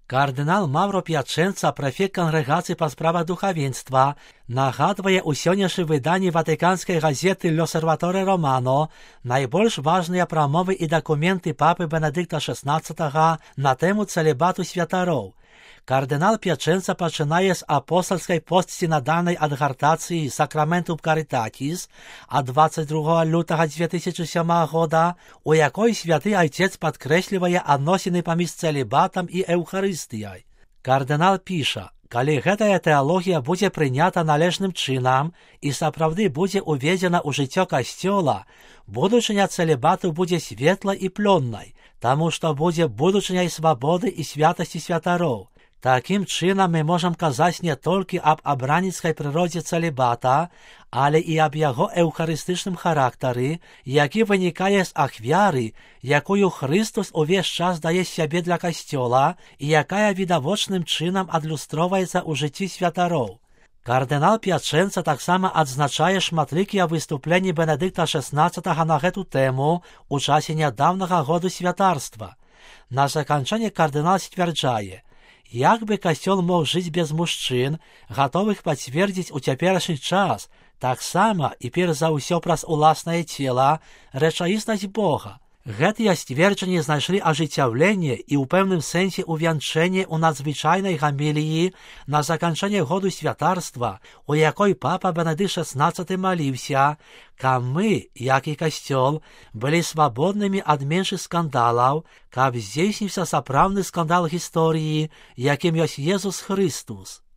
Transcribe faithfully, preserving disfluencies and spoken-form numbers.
Кардынал Мавро П'ячэнца, прэфект кангрэгацыі па справах духавенства, нагадвае ў сённяшнім выданні ватыканскай газеты «L'Osservatore Romano» найбольш важныя прамовы і дакументы папы Бенедыкта шэснаццатага на тэму цэлібату святароў. Кардынал П'ячэнца пачынае з апостальскай постсінадальнай адгартацыі «Sacramentum Caritatis» ад дваццаць другога лютага дзве тысячы сёмага года, у якой святы айцец падкрэслівае адносіны паміж цэлібатам і эўхарыстыяй. Кардынал піша: «Калі гэтая тэалогія будзе прынята належным чынам і сапраўды будзе уведзена ў жыццё касцёла, будучыня цэлібату будзе светлай і плённай, таму што будзе будучыняй свабоды і святасці святароў. Такім чынам мы можам казаць не толькі аб абраніцкай прыродзе цэлібата, але і аб яго эўхарыстычным характары, які вынікае з ахвяры, якую Хрыстус увесь час дае сябе для касцёла і якая відавочным чынам адлюстроўваецца ў жыцці святароў». Кардынал П'ячэнца таксама адзначае шматлікія выступленні Бенедыкта шэснаццатага на гэту тэму ў часе нядаўнага году святарства. На заканчэнне кардынал сцвярджае: «Як бы касцёл мог жыць без мужчын, гатовых пацвердзіць у цяперашні час, таксама і перш за ўсё праз уласнае цела, рэчаіснасць Бога». Гэтыя сцверджанні знайшлі ажыццяўленне і ў пэўным сэнсе увянчэнне ў надзвычайнай гаміліі на заканчэнне году святарства, у якой папа Бенедыкт шэснаццаты маліўся, каб мы, як і касцёл, былі свабоднымі ад меншых скандалаў, каб здзейсніўся сапраўдны скандал гісторыі, якім ёсць Езус Хрыстус.